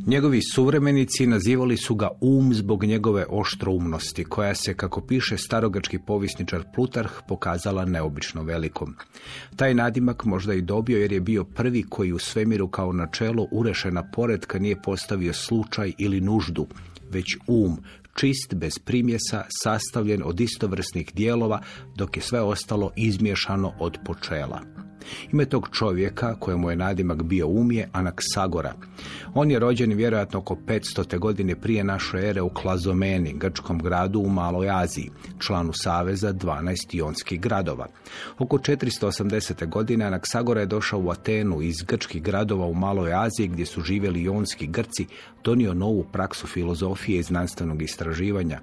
Njegovi suvremenici nazivali su ga zbog njegove oštroumnosti, koja se, kako piše starogrčki povjesničar Plutarh, pokazala neobično velikom. Taj nadimak možda i dobio jer je bio prvi koji u svemiru kao načelo urešena poretka nije postavio slučaj ili nuždu, već čist, bez primjesa, sastavljen od istovrsnih dijelova, dok je sve ostalo izmiješano od počela. Ime tog čovjeka, kojemu je nadimak bio je Anaksagora. On je rođen vjerojatno oko 500. godine prije naše ere u Klazomeni, grčkom gradu u Maloj Aziji, članu saveza 12 ionskih gradova. Oko 480. godine Anaksagora je došao u Atenu iz grčkih gradova u Maloj Aziji, gdje su živjeli ionski Grci, donio novu praksu filozofije i znanstvenog istraživanja.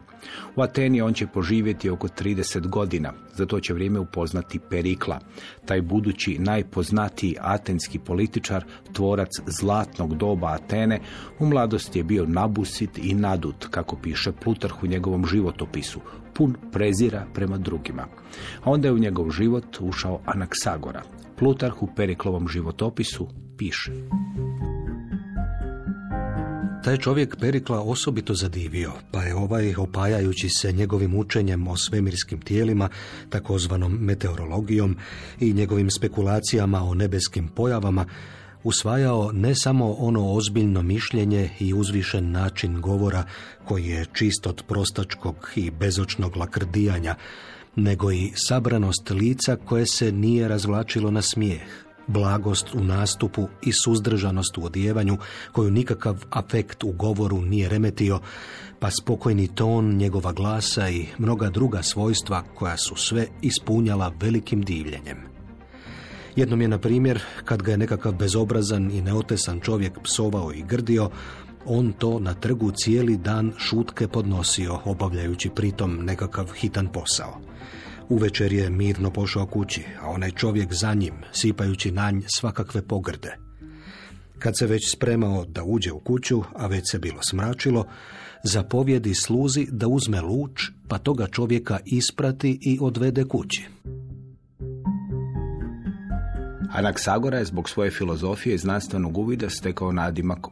U Ateni on će poživjeti oko 30 godina, za to će vrijeme upoznati Perikla, taj budući najpoznatiji atenski političar, tvorac zlatnog doba Atene. U mladosti je bio nabusit i nadut, kako piše Plutarh u njegovom životopisu, pun prezira prema drugima. A onda je u njegov život ušao Anaksagora. Plutarh u Periklovom životopisu piše: Taj čovjek Perikla osobito zadivio, pa je opajajući se njegovim učenjem o svemirskim tijelima, takozvanom meteorologijom, i njegovim spekulacijama o nebeskim pojavama, usvajao ne samo ono ozbiljno mišljenje i uzvišen način govora koji je čist od prostačkog i bezočnog lakrdijanja, nego i sabranost lica koje se nije razvlačilo na smijeh, blagost u nastupu i suzdržanost u odjevanju koju nikakav afekt u govoru nije remetio, pa spokojni ton njegova glasa i mnoga druga svojstva koja su sve ispunjala velikim divljenjem. Jednom je, na primjer, kad ga je nekakav bezobrazan i neotesan čovjek psovao i grdio, on to na trgu cijeli dan šutke podnosio, obavljajući pritom nekakav hitan posao. Uvečer je mirno pošao kući, a onaj čovjek za njim, sipajući na nj svakakve pogrde. Kad se već spremao da uđe u kuću, a već se bilo smračilo, zapovjedi sluzi da uzme luč, pa toga čovjeka isprati i odvede kući. Anaksagora je zbog svoje filozofije i znanstvenog uvida stekao nadimak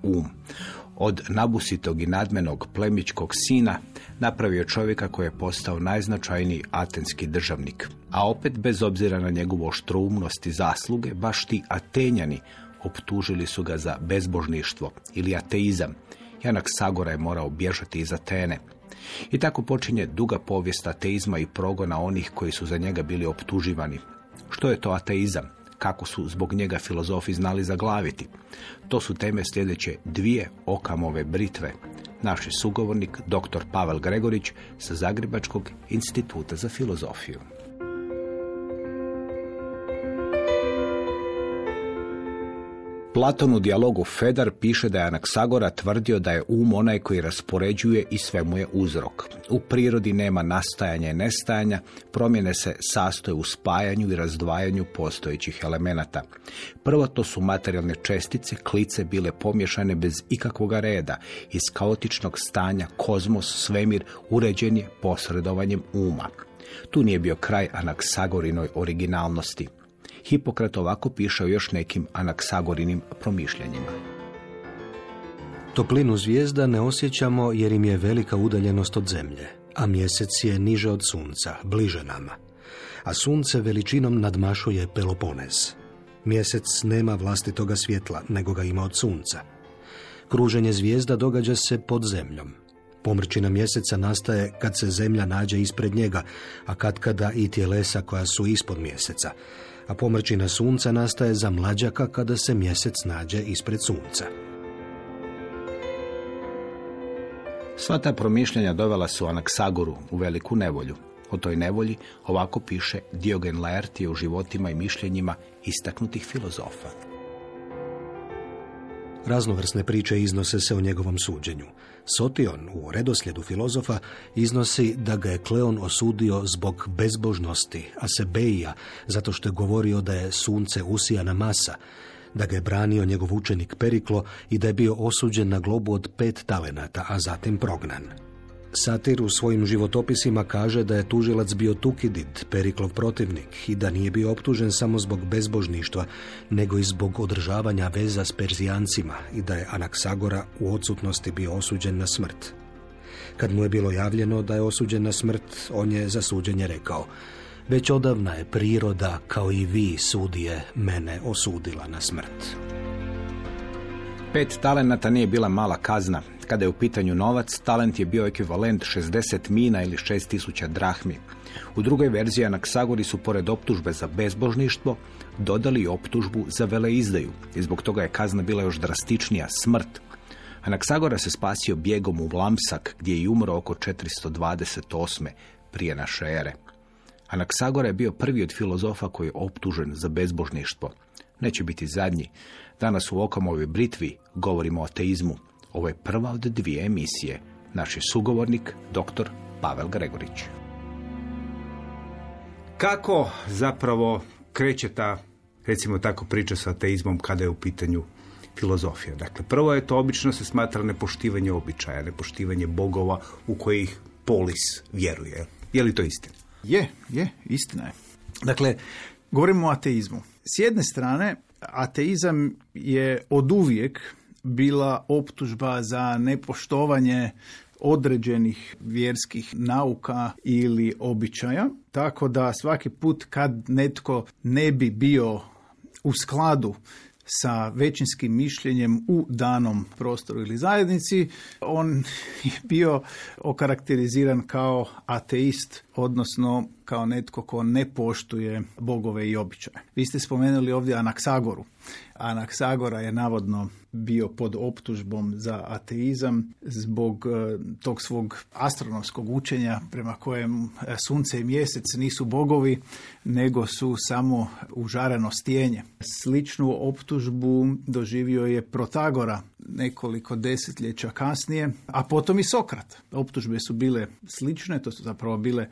Od nabusitog i nadmenog plemićkog sina napravio čovjeka koji je postao najznačajniji atenski državnik. A opet, bez obzira na njegovu oštroumnost i zasluge, baš ti Atenjani optužili su ga za bezbožništvo ili ateizam. Anaksagora je morao bježati iz Atene. I tako počinje duga povijest ateizma i progona onih koji su za njega bili optuživani. Što je to ateizam? Kako su zbog njega filozofi znali zaglaviti? To su teme sljedeće 2 Okamove britve. Naš je sugovornik dr. Pavel Gregorić sa Zagrebačkog instituta za filozofiju. Platon u dijalogu Fedar piše da je Anaksagora tvrdio da je onaj koji raspoređuje i sve mu je uzrok. U prirodi nema nastajanja i nestajanja, promjene se sastoje u spajanju i razdvajanju postojećih elemenata. Prvo to su materijalne čestice, klice bile pomješane bez ikakvoga reda. Iz kaotičnog stanja kozmos, svemir, uređen je posredovanjem uma. Tu nije bio kraj Anaksagorinoj originalnosti. Hipokrat ovako piše o još nekim Anaksagorinim promišljanjima. Toplinu zvijezda ne osjećamo jer im je velika udaljenost od zemlje, a mjesec je niže od sunca, bliže nama. A sunce veličinom nadmašuje Peloponez. Mjesec nema vlastitoga svjetla, nego ga ima od sunca. Kruženje zvijezda događa se pod zemljom. Pomrčina mjeseca nastaje kad se zemlja nađe ispred njega, a katkada i tjelesa koja su ispod mjeseca. A pomrčina sunca nastaje za mlađaka kada se mjesec nađe ispred sunca. Sva ta promišljanja dovela su Anaksagoru u veliku nevolju. O toj nevolji ovako piše Diogen Laertije u životima i mišljenjima istaknutih filozofa. Raznovrsne priče iznose se o njegovom suđenju. Sotion u redoslijedu filozofa iznosi da ga je Kleon osudio zbog bezbožnosti, a Sebeija zato što je govorio da je sunce usijana masa, da ga je branio njegov učenik Periklo i da je bio osuđen na globu od 5 talenata, a zatim prognan. Satir u svojim životopisima kaže da je tužilac bio Tukidid, Periklov protivnik, i da nije bio optužen samo zbog bezbožništva, nego i zbog održavanja veza s Perzijancima i da je Anaksagora u odsutnosti bio osuđen na smrt. Kad mu je bilo javljeno da je osuđen na smrt, on je za suđenje rekao: već odavna je priroda, kao i vi, sudije, mene osudila na smrt. 5 talenata nije bila mala kazna. Kada je u pitanju novac, talent je bio ekvivalent 60 mina ili 6000 drahmi. U drugoj verziji Anaksagori su pored optužbe za bezbožništvo dodali i optužbu za veleizdaju i zbog toga je kazna bila još drastičnija, smrt. Anaksagora se spasio bijegom u Vlamsak, gdje je umro oko 428. prije naše ere. Anaksagora je bio prvi od filozofa koji je optužen za bezbožništvo. Neće biti zadnji. Danas u Okamovoj britvi govorimo o ateizmu. Ovo je prva od 2 emisije. Naš je sugovornik, dr. Pavel Gregorić. Kako zapravo kreće ta, recimo tako, priča sa ateizmom kada je u pitanju filozofija? Dakle, prvo je to obično se smatra nepoštivanje običaja, nepoštivanje bogova u kojih polis vjeruje. Je li to istina? Je, istina je. Dakle, govorimo o ateizmu. S jedne strane, ateizam je oduvijek bila optužba za nepoštovanje određenih vjerskih nauka ili običaja, tako da svaki put kad netko ne bi bio u skladu sa većinskim mišljenjem u danom prostoru ili zajednici, on je bio okarakteriziran kao ateist, odnosno kao netko ko ne poštuje bogove i običaje. Vi ste spomenuli ovdje Anaksagoru. Anaksagora je navodno bio pod optužbom za ateizam zbog tog svog astronomskog učenja prema kojem sunce i mjesec nisu bogovi, nego su samo užareno stijenje. Sličnu optužbu doživio je Protagora nekoliko desetljeća kasnije, a potom i Sokrat. Optužbe su bile slične, to su zapravo bile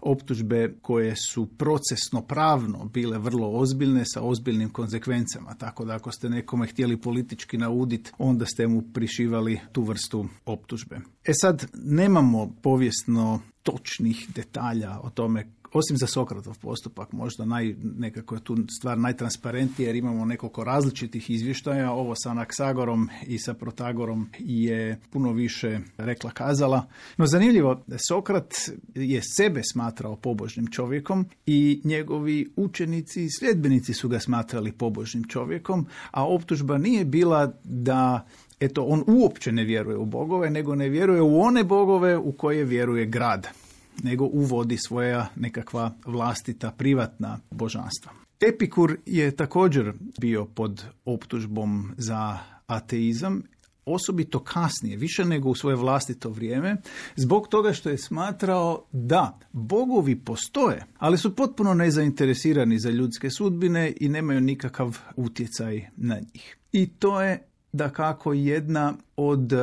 optužbe koje su procesno pravno bile vrlo ozbiljne sa ozbiljnim konzekvencama, tako da ako ste nekome htjeli politički nauditi, onda ste mu prišivali tu vrstu optužbe. Sad, nemamo povijesno točnih detalja o tome, osim za Sokratov postupak, možda nekako je tu stvar najtransparentnija jer imamo nekoliko različitih izvještaja. Ovo sa Anaksagorom i sa Protagorom je puno više rekla kazala. No zanimljivo, Sokrat je sebe smatrao pobožnim čovjekom i njegovi učenici i sljedbenici su ga smatrali pobožnim čovjekom, a optužba nije bila da on uopće ne vjeruje u bogove, nego ne vjeruje u one bogove u koje vjeruje grad, nego uvodi svoja nekakva vlastita privatna božanstva. Epikur je također bio pod optužbom za ateizam, osobito kasnije, više nego u svoje vlastito vrijeme, zbog toga što je smatrao da bogovi postoje, ali su potpuno nezainteresirani za ljudske sudbine i nemaju nikakav utjecaj na njih. I to je dakako jedna od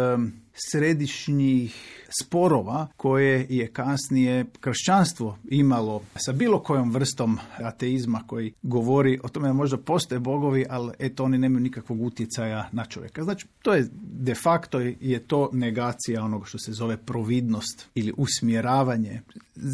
središnjih sporova koje je kasnije kršćanstvo imalo sa bilo kojom vrstom ateizma koji govori o tome da možda postoje bogovi, ali oni nemaju nikakvog utjecaja na čovjeka. Znači, to je de facto je to negacija onoga što se zove providnost ili usmjeravanje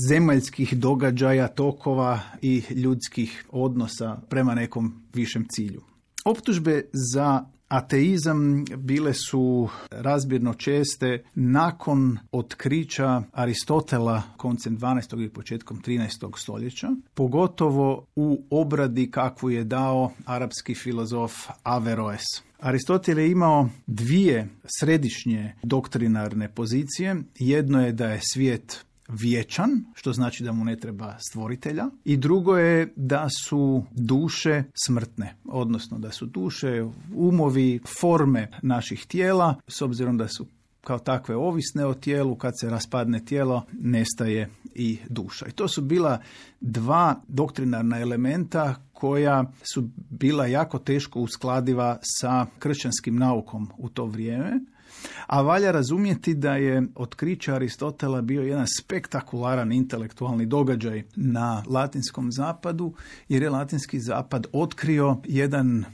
zemaljskih događaja, tokova i ljudskih odnosa prema nekom višem cilju. Optužbe za ateizam bile su razmjerno česte nakon otkrića Aristotela koncem 12. i početkom 13. stoljeća, pogotovo u obradi kakvu je dao arapski filozof Averroes. Aristotel je imao 2 središnje doktrinarne pozicije. Jedno je da je svijet vječan, što znači da mu ne treba stvoritelja, i drugo je da su duše smrtne, odnosno da su duše, umovi, forme naših tijela, s obzirom da su kao takve ovisne o tijelu, kad se raspadne tijelo, nestaje i duša. I to su bila 2 doktrinarna elementa koja su bila jako teško uskladiva sa kršćanskim naukom u to vrijeme. A valja razumjeti da je otkriće Aristotela bio jedan spektakularan intelektualni događaj na latinskom zapadu, jer je latinski zapad otkrio jedan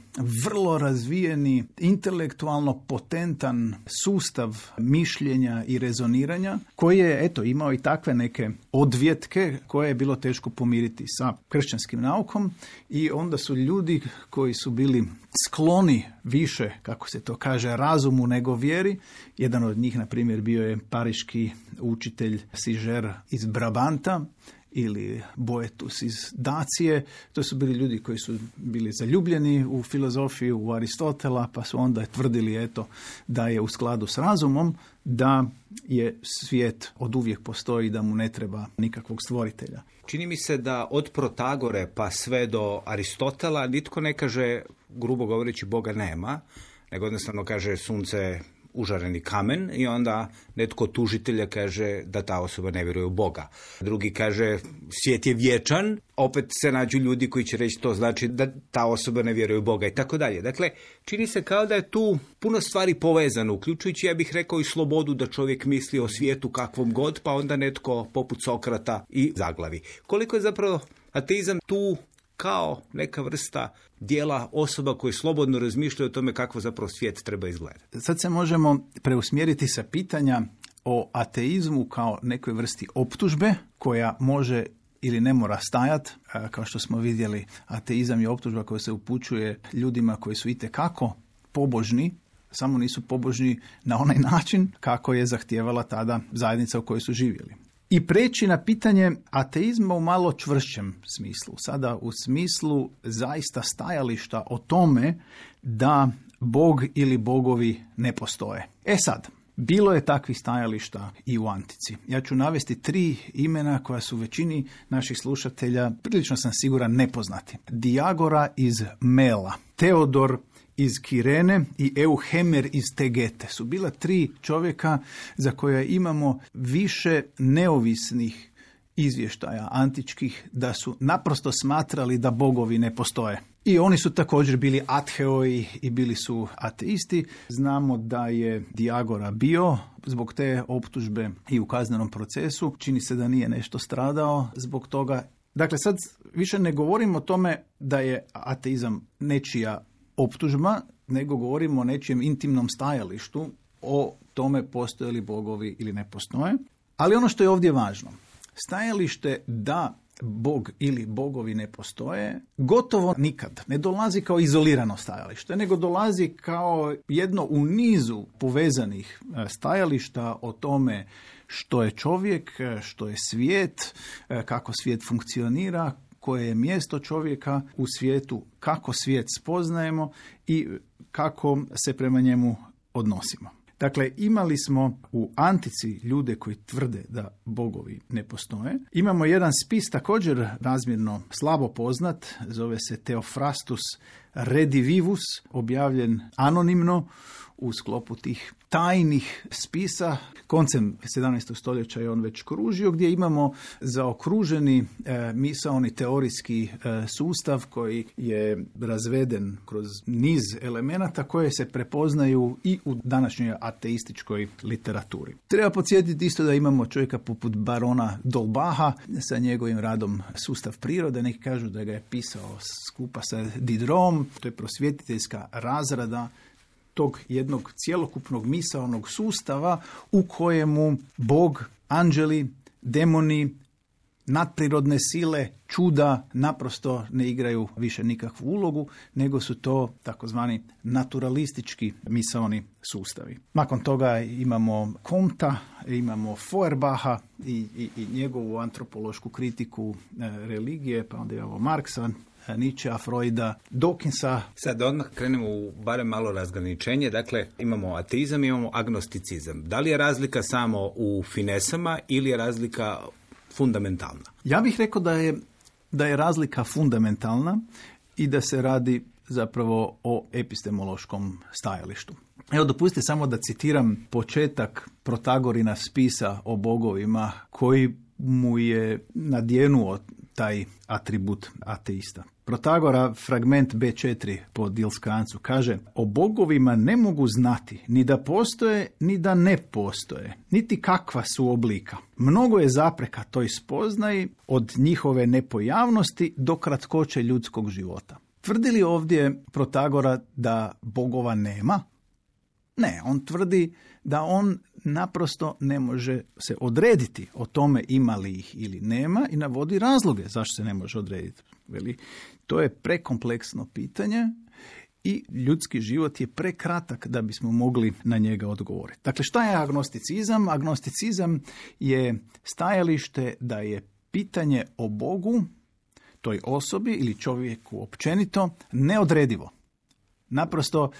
vrlo razvijeni, intelektualno potentan sustav mišljenja i rezoniranja, koji je imao i takve neke odvjetke koje je bilo teško pomiriti sa kršćanskim naukom, i onda su ljudi koji su bili skloni više, kako se to kaže, razumu nego vjeri. Jedan od njih, na primjer, bio je pariški učitelj Sižer iz Brabanta ili Boetus iz Dacije. To su bili ljudi koji su bili zaljubljeni u filozofiju, u Aristotela, pa su onda tvrdili da je u skladu s razumom, da je svijet oduvijek postoji, da mu ne treba nikakvog stvoritelja. Čini mi se da od Protagore pa sve do Aristotela nitko ne kaže, grubo govoreći, Boga nema, nego jednostavno kaže sunce užareni kamen, i onda netko od tužitelja kaže da ta osoba ne vjeruje u Boga. Drugi kaže svijet je vječan, opet se nađu ljudi koji će reći to znači da ta osoba ne vjeruje u Boga i tako dalje. Dakle, čini se kao da je tu puno stvari povezano, uključujući, ja bih rekao, i slobodu da čovjek misli o svijetu kakvom god, pa onda netko poput Sokrata i zaglavi. Koliko je zapravo ateizam tu kao neka vrsta dijela osoba koji slobodno razmišljaju o tome kako zapravo svijet treba izgledati. Sad se možemo preusmjeriti sa pitanja o ateizmu kao nekoj vrsti optužbe koja može ili ne mora stajati. Kao što smo vidjeli, ateizam je optužba koja se upućuje ljudima koji su itekako pobožni, samo nisu pobožni na onaj način kako je zahtijevala tada zajednica u kojoj su živjeli. I preći na pitanje ateizma u malo čvršćem smislu. Sada u smislu zaista stajališta o tome da Bog ili bogovi ne postoje. Sad, bilo je takvih stajališta i u antici. Ja ću navesti 3 imena koja su većini naših slušatelja, prilično sam siguran, nepoznati. Diagora iz Mela, Teodor iz Kirene i Euhemer iz Tegete su bila 3 čovjeka za koje imamo više neovisnih izvještaja antičkih da su naprosto smatrali da bogovi ne postoje. I oni su također bili atheoi i bili su ateisti. Znamo da je Diagora bio zbog te optužbe i u kaznenom procesu. Čini se da nije nešto stradao zbog toga. Dakle, sad više ne govorimo o tome da je ateizam nečija optužba, nego govorimo o nečijem intimnom stajalištu o tome postoje li bogovi ili ne postoje. Ali ono što je ovdje važno, stajalište da Bog ili bogovi ne postoje gotovo nikad ne dolazi kao izolirano stajalište, nego dolazi kao jedno u nizu povezanih stajališta o tome što je čovjek, što je svijet, kako svijet funkcionira, koje je mjesto čovjeka u svijetu, kako svijet spoznajemo i kako se prema njemu odnosimo. Dakle, imali smo u antici ljude koji tvrde da bogovi ne postoje. Imamo jedan spis također razmjerno slabo poznat, zove se Theophrastus Redivivus, objavljen anonimno u sklopu tih tajnih spisa. Koncem 17. stoljeća je on već kružio, gdje imamo zaokruženi misaoni teorijski sustav koji je razveden kroz niz elemenata koje se prepoznaju i u današnjoj ateističkoj literaturi. Treba podsjetiti isto da imamo čovjeka poput barona Dolbaha sa njegovim radom Sustav prirode. Neki kažu da ga je pisao skupa sa Diderotom. To je prosvjetiteljska razrada tog jednog cjelokupnog misaonog sustava u kojemu Bog, anđeli, demoni, nadprirodne sile, čuda naprosto ne igraju više nikakvu ulogu, nego su to takozvani naturalistički misaoni sustavi. Nakon toga imamo Comta, imamo Feuerbacha i njegovu antropološku kritiku religije, pa onda imamo Marksa, Nietzschea, Freuda, Dawkinsa. Sad odmah krenemo u barem malo razgraničenje. Dakle, imamo ateizam, imamo agnosticizam. Da li je razlika samo u finesama ili je razlika fundamentalna? Ja bih rekao da je razlika fundamentalna i da se radi zapravo o epistemološkom stajalištu. Evo, dopustite samo da citiram početak Protagorina spisa o bogovima koji mu je nadjenuo taj atribut ateista. Protagora, fragment B4 po Dilskrancu, kaže: o bogovima ne mogu znati ni da postoje, ni da ne postoje, niti kakva su oblika. Mnogo je zapreka toj spoznaji, od njihove nepojavnosti do kratkoće ljudskog života. Tvrdi li ovdje Protagora da bogova nema? Ne, on tvrdi da on naprosto ne može se odrediti o tome ima li ih ili nema i navodi razloge zašto se ne može odrediti. Veli, to je prekompleksno pitanje i ljudski život je prekratak da bismo mogli na njega odgovoriti. Dakle, šta je agnosticizam? Agnosticizam je stajalište da je pitanje o Bogu, toj osobi ili čovjeku općenito, neodredivo. Naprosto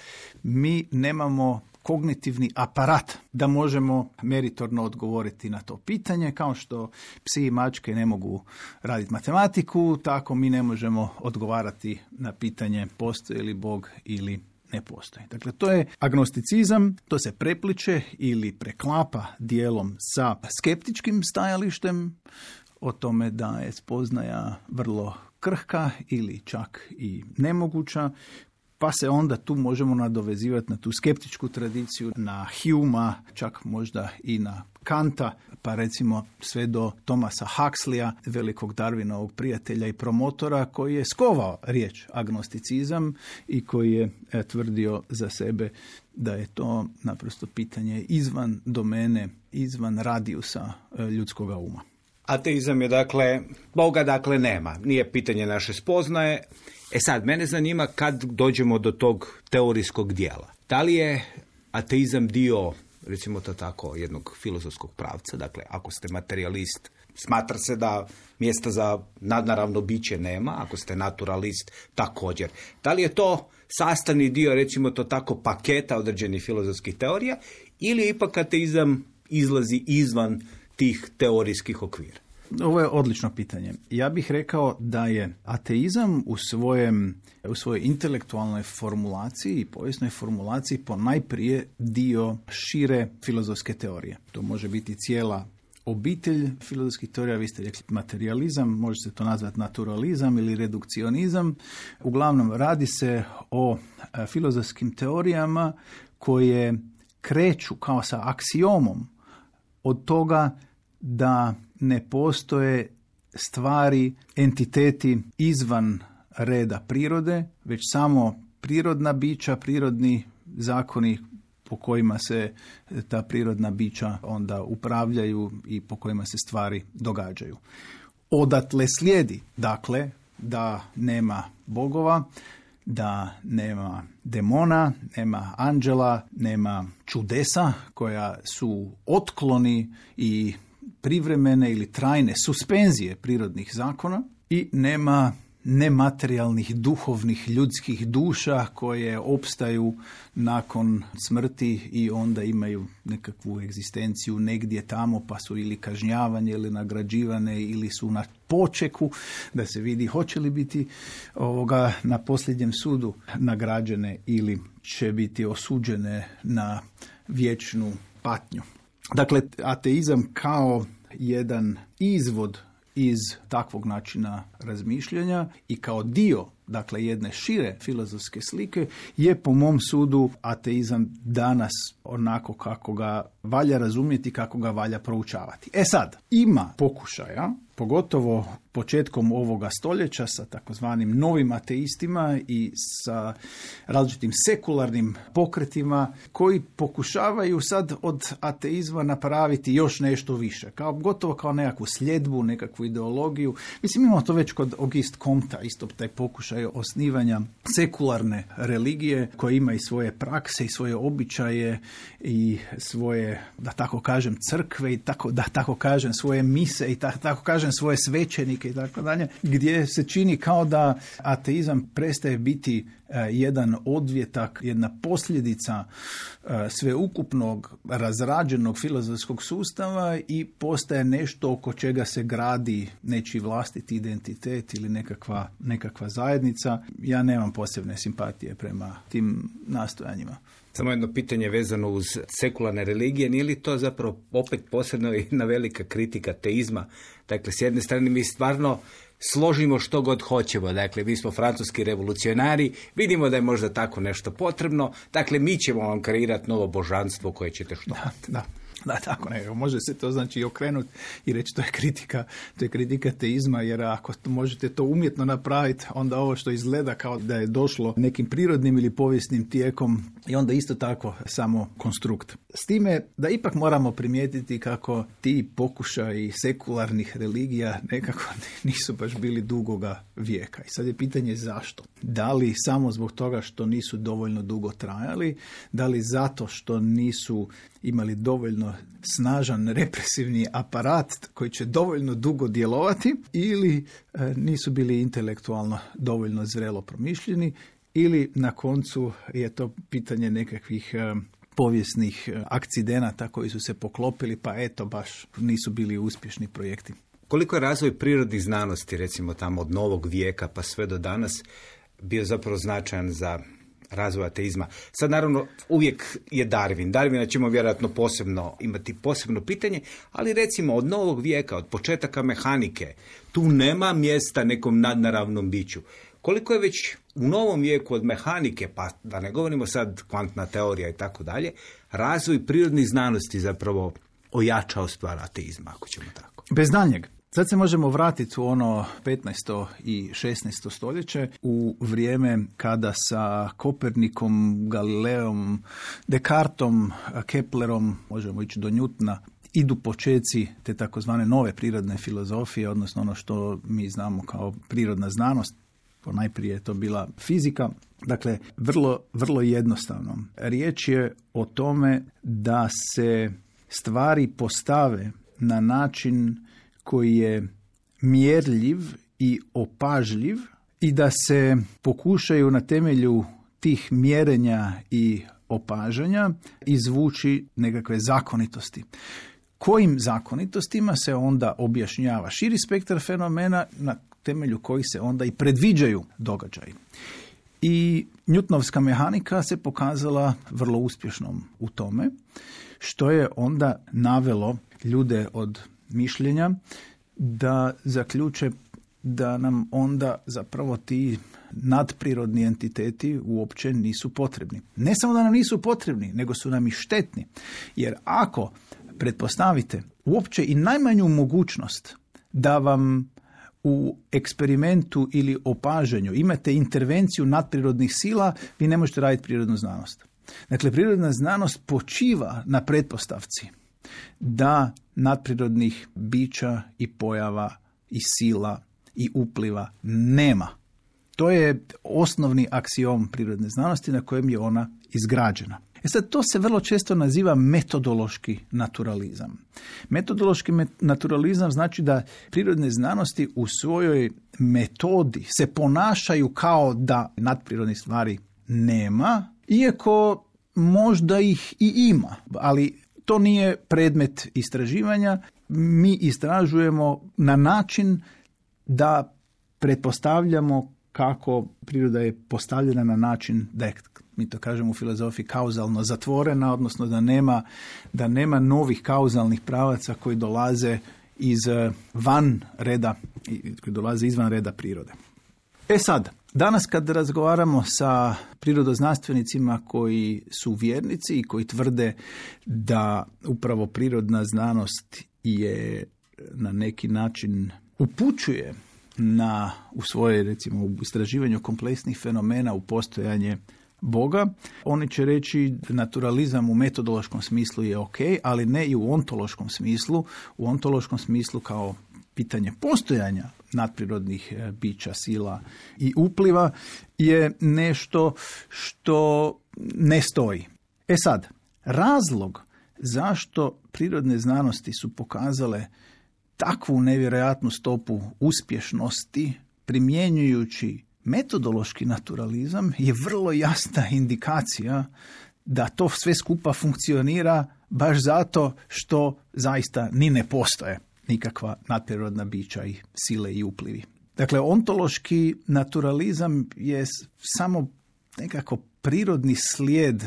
mi nemamo kognitivni aparat da možemo meritorno odgovoriti na to pitanje, kao što psi i mačke ne mogu raditi matematiku, tako mi ne možemo odgovarati na pitanje postoji li Bog ili ne postoji. Dakle, to je agnosticizam, to se prepliče ili preklapa dijelom sa skeptičkim stajalištem o tome da je spoznaja vrlo krhka ili čak i nemoguća, pa se onda tu možemo nadovezivati na tu skeptičku tradiciju, na Humea, čak možda i na Kanta, pa recimo sve do Thomasa Huxleya, velikog Darwinovog prijatelja i promotora, koji je skovao riječ agnosticizam i koji je tvrdio za sebe da je to naprosto pitanje izvan domene, izvan radijusa ljudskoga uma. Ateizam je Boga nema, nije pitanje naše spoznaje. Sad, mene zanima kad dođemo do tog teorijskog dijela. Da li je ateizam dio, recimo to tako, jednog filozofskog pravca? Dakle, ako ste materijalist, smatra se da mjesta za nadnaravno biće nema, ako ste naturalist, također. Da li je to sastavni dio, recimo to tako, paketa određenih filozofskih teorija, ili ipak ateizam izlazi izvan tih teorijskih okvira? Ovo je odlično pitanje. Ja bih rekao da je ateizam u svojoj intelektualnoj formulaciji i povijesnoj formulaciji ponajprije dio šire filozofske teorije. To može biti cijela obitelj filozofskih teorija, vi ste rekli materializam, može se to nazvati naturalizam ili redukcionizam. Uglavnom, radi se o filozofskim teorijama koje kreću kao sa aksiomom od toga da ne postoje stvari, entiteti izvan reda prirode, već samo prirodna bića, prirodni zakoni po kojima se ta prirodna bića onda upravljaju i po kojima se stvari događaju. Odatle slijedi, dakle, da nema bogova, da nema demona, nema anđela, nema čudesa koja su otkloni i privremene ili trajne suspenzije prirodnih zakona i nema nematerijalnih, duhovnih, ljudskih duša koje opstaju nakon smrti i onda imaju nekakvu egzistenciju negdje tamo, pa su ili kažnjavanje ili nagrađivane ili su na počeku da se vidi hoće li biti na posljednjem sudu nagrađene ili će biti osuđene na vječnu patnju. Dakle, ateizam kao jedan izvod iz takvog načina razmišljanja i kao dio, dakle, jedne šire filozofske slike je po mom sudu ateizam danas onako kako ga valja razumjeti, kako ga valja proučavati. Sad, ima pokušaja, pogotovo početkom ovoga stoljeća sa takozvanim novim ateistima i sa različitim sekularnim pokretima koji pokušavaju sad od ateizma napraviti još nešto više, gotovo kao nekakvu sljedbu, nekakvu ideologiju. Mislim, imamo to već kod Auguste Comtea, isto taj pokušaj osnivanja sekularne religije koja ima i svoje prakse i svoje običaje i svoje, da tako kažem, crkve i da tako kažem, svoje mise i tako kažem, svoje svećenike i tako dalje, gdje se čini kao da ateizam prestaje biti jedan odvjetak, jedna posljedica sveukupnog razrađenog filozofskog sustava i postaje nešto oko čega se gradi nečiji vlastiti identitet ili nekakva zajednica. Ja nemam posebne simpatije prema tim nastojanjima. Samo jedno pitanje vezano uz sekularne religije, nije li to zapravo opet posebno jedna velika kritika teizma? Dakle, s jedne strane mi stvarno složimo što god hoćemo. Dakle, mi smo francuski revolucionari, vidimo da je možda tako nešto potrebno, dakle, mi ćemo vam kreirati novo božanstvo koje ćete što. Da, tako nekako. Može se to znači okrenuti i reći to je kritika teizma, jer ako možete to umjetno napraviti, onda ovo što izgleda kao da je došlo nekim prirodnim ili povijesnim tijekom i onda isto tako samo konstrukt. S time da ipak moramo primijetiti kako ti pokušaji sekularnih religija nekako nisu baš bili dugoga vijeka. I sad je pitanje zašto. Da li samo zbog toga što nisu dovoljno dugo trajali, da li zato što nisu imali dovoljno snažan represivni aparat koji će dovoljno dugo djelovati, ili nisu bili intelektualno dovoljno zrelo promišljeni, ili na koncu je to pitanje nekakvih povijesnih akcidenata koji su se poklopili, pa eto baš nisu bili uspješni projekti. Koliko je razvoj prirodnih znanosti, recimo tamo od novog vijeka pa sve do danas, bio zapravo značajan za razvoj ateizma? Sad naravno uvijek je Darwin. Darwina ćemo vjerojatno imati posebno pitanje, ali recimo od novog vijeka, od početaka mehanike, tu nema mjesta nekom nadnaravnom biću. Koliko je već u novom vijeku od mehanike, pa da ne govorimo sad kvantna teorija i tako dalje, razvoj prirodnih znanosti zapravo ojačao stvar ateizma, ako ćemo tako. Bez daljnjeg. Sad se možemo vratiti u ono 15. i 16. stoljeće, u vrijeme kada sa Kopernikom, Galileom, Descartom, Keplerom, možemo ići do Newtona, idu počeci te takozvane nove prirodne filozofije, odnosno ono što mi znamo kao prirodna znanost. Najprije je to bila fizika. Dakle, vrlo jednostavno. Riječ je o tome da se stvari postave na način koji je mjerljiv i opažljiv i da se pokušaju na temelju tih mjerenja i opažanja izvući nekakve zakonitosti. Kojim zakonitostima se onda objašnjava širi spektar fenomena na temelju kojih se onda i predviđaju događaji. I Newtonovska mehanika se pokazala vrlo uspješnom u tome, što je onda navelo ljude od mišljenja da zaključe da nam onda zapravo ti nadprirodni entiteti uopće nisu potrebni. Ne samo da nam nisu potrebni, nego su nam i štetni. Jer ako pretpostavite uopće i najmanju mogućnost da vam u eksperimentu ili opažanju imate intervenciju nadprirodnih sila, vi ne možete raditi prirodnu znanost. Dakle, prirodna znanost počiva na pretpostavci da nadprirodnih bića i pojava i sila i upliva nema. To je osnovni aksiom prirodne znanosti na kojem je ona izgrađena. Sad, to se vrlo često naziva metodološki naturalizam. Metodološki naturalizam znači da prirodne znanosti u svojoj metodi se ponašaju kao da nadprirodnih stvari nema, iako možda ih i ima, ali to nije predmet istraživanja. Mi istražujemo na način da pretpostavljamo kako priroda je postavljena na način da je, mi to kažemo u filozofiji, kauzalno zatvorena, odnosno da nema novih kauzalnih pravaca koji dolaze izvan reda prirode. Sad, danas kad razgovaramo sa prirodoznanstvenicima koji su vjernici i koji tvrde da upravo prirodna znanost je na neki način upućuje u svoje, recimo, u istraživanju kompleksnih fenomena u postojanje Boga, oni će reći naturalizam u metodološkom smislu je ok, ali ne i u ontološkom smislu. U ontološkom smislu kao pitanje postojanja nadprirodnih bića, sila i upliva je nešto što ne stoji. Sad, razlog zašto prirodne znanosti su pokazale takvu nevjerojatnu stopu uspješnosti primjenjujući metodološki naturalizam je vrlo jasna indikacija da to sve skupa funkcionira baš zato što zaista ni ne postoje nikakva nadprirodna bića i sile i uplivi. Dakle, ontološki naturalizam je samo nekako prirodni slijed,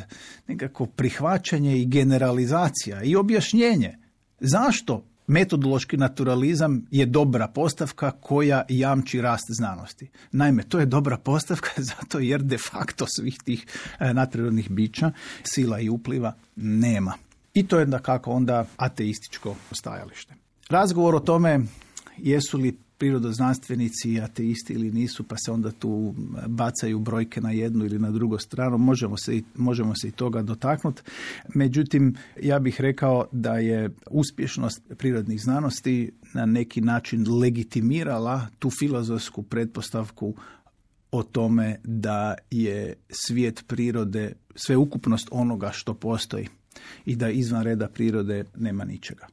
nekako prihvaćanje i generalizacija i objašnjenje zašto metodološki naturalizam je dobra postavka koja jamči rast znanosti. Naime, to je dobra postavka zato jer de facto svih tih nadprirodnih bića, sila i upliva nema. I to je dakako onda ateističko stajalište. Razgovor o tome jesu li prirodoznanstvenici ateisti ili nisu, pa se onda tu bacaju brojke na jednu ili na drugu stranu, možemo se i toga dotaknuti. Međutim, ja bih rekao da je uspješnost prirodnih znanosti na neki način legitimirala tu filozofsku pretpostavku o tome da je svijet prirode sveukupnost onoga što postoji i da izvan reda prirode nema ničega.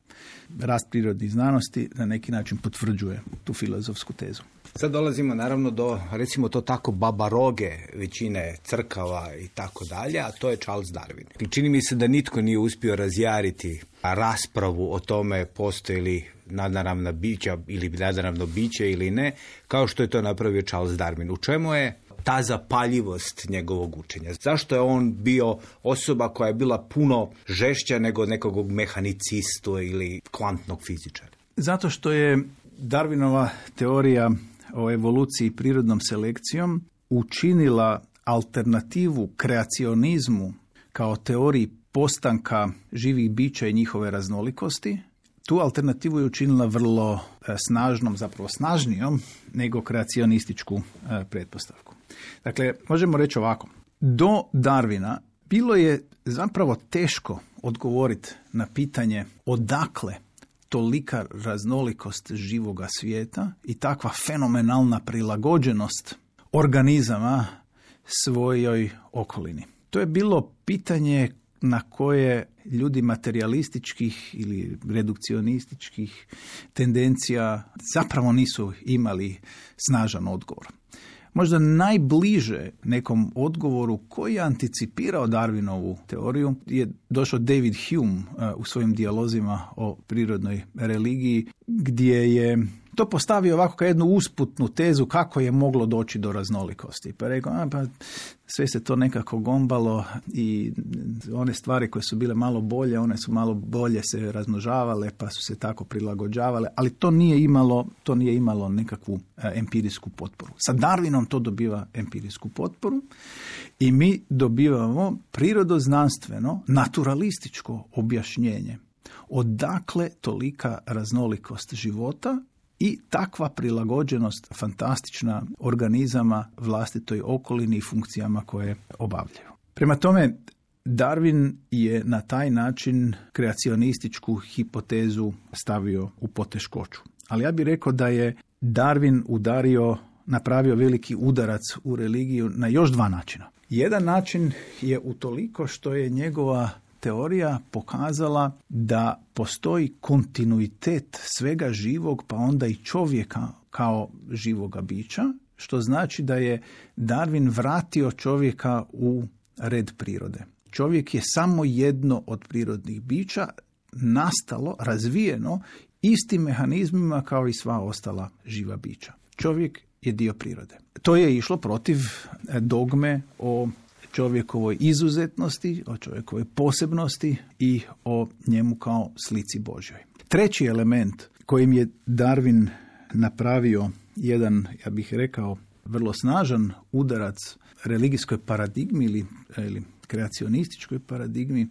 Rast prirodnih znanosti na neki način potvrđuje tu filozofsku tezu. Sad dolazimo naravno do, recimo to tako, babaroge većine crkava i tako dalje, a to je Charles Darwin. Čini mi se da nitko nije uspio razjariti raspravu o tome postoji li nadnaravna bića ili nadnaravno biće ili ne, kao što je to napravio Charles Darwin. U čemu je ta zapaljivost njegovog učenja? Zašto je on bio osoba koja je bila puno žešća nego nekog mehanicistu ili kvantnog fizičara? Zato što je Darwinova teorija o evoluciji prirodnom selekcijom učinila alternativu kreacionizmu kao teoriji postanka živih bića i njihove raznolikosti. Tu alternativu je učinila vrlo snažnom, zapravo snažnijom nego kreacionističku pretpostavku. Dakle, možemo reći ovako. Do Darwina bilo je zapravo teško odgovoriti na pitanje odakle tolika raznolikost živoga svijeta i takva fenomenalna prilagođenost organizama svojoj okolini. To je bilo pitanje na koje ljudi materijalističkih ili redukcionističkih tendencija zapravo nisu imali snažan odgovor. Možda najbliže nekom odgovoru koji je anticipirao Darwinovu teoriju je došao David Hume u svojim dijalozima o prirodnoj religiji, gdje je to postavio ovako kao jednu usputnu tezu kako je moglo doći do raznolikosti. Pa rekao, pa sve se to nekako gombalo i one stvari koje su bile malo bolje, one su malo bolje se razmnožavale pa su se tako prilagođavale, ali to nije imalo nekakvu empirijsku potporu. Sa Darwinom to dobiva empirijsku potporu i mi dobivamo prirodoznanstveno, naturalističko objašnjenje odakle tolika raznolikost života i takva prilagođenost fantastična organizama vlastitoj okolini i funkcijama koje obavljaju. Prema tome, Darwin je na taj način kreacionističku hipotezu stavio u poteškoću. Ali ja bih rekao da je Darwin napravio veliki udarac u religiju na još dva načina. Jedan način je utoliko što je njegova teorija pokazala da postoji kontinuitet svega živog, pa onda i čovjeka kao živoga bića, što znači da je Darwin vratio čovjeka u red prirode. Čovjek je samo jedno od prirodnih bića, nastalo, razvijeno istim mehanizmima kao i sva ostala živa bića. Čovjek je dio prirode. To je išlo protiv dogme o čovjekovoj izuzetnosti, o čovjekovoj posebnosti i o njemu kao slici Božjoj. Treći element kojim je Darwin napravio jedan, ja bih rekao, vrlo snažan udarac religijskoj paradigmi ili kreacionističkoj paradigmi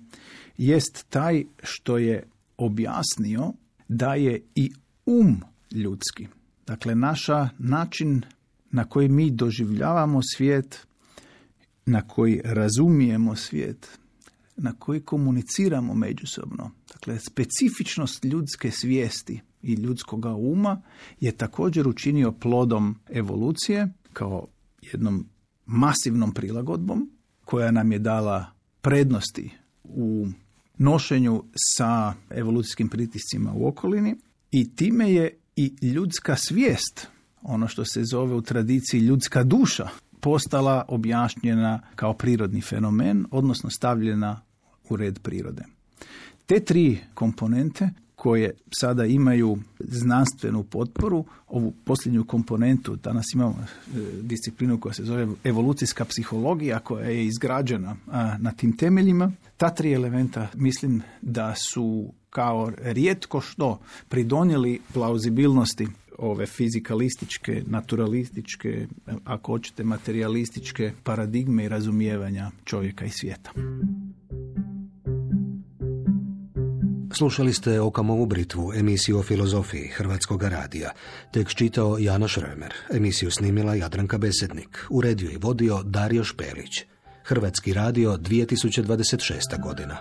jest taj što je objasnio da je i ljudski. Dakle, način na koji mi doživljavamo svijet, na koji razumijemo svijet, na koji komuniciramo međusobno. Dakle, specifičnost ljudske svijesti i ljudskoga uma je također učinio plodom evolucije kao jednom masivnom prilagodbom koja nam je dala prednosti u nošenju sa evolucijskim pritiscima u okolini i time je i ljudska svijest, ono što se zove u tradiciji ljudska duša, postala objašnjena kao prirodni fenomen, odnosno stavljena u red prirode. Te tri komponente koje sada imaju znanstvenu potporu, ovu posljednju komponentu, danas imamo disciplinu koja se zove evolucijska psihologija, koja je izgrađena na tim temeljima. Ta 3 elementa mislim da su kao rijetko što pridonijeli plauzibilnosti ove fizikalističke, naturalističke, ako hoćete materialističke paradigme i razumijevanja čovjeka i svijeta. Slušali ste Okamovu britvu, emisiju o filozofiji Hrvatskog radija. Tekst čitao Janoš Römer, emisiju snimila Jadranka Besednik, uredio i vodio Dario Špelić. Hrvatski radio, 2026. godina.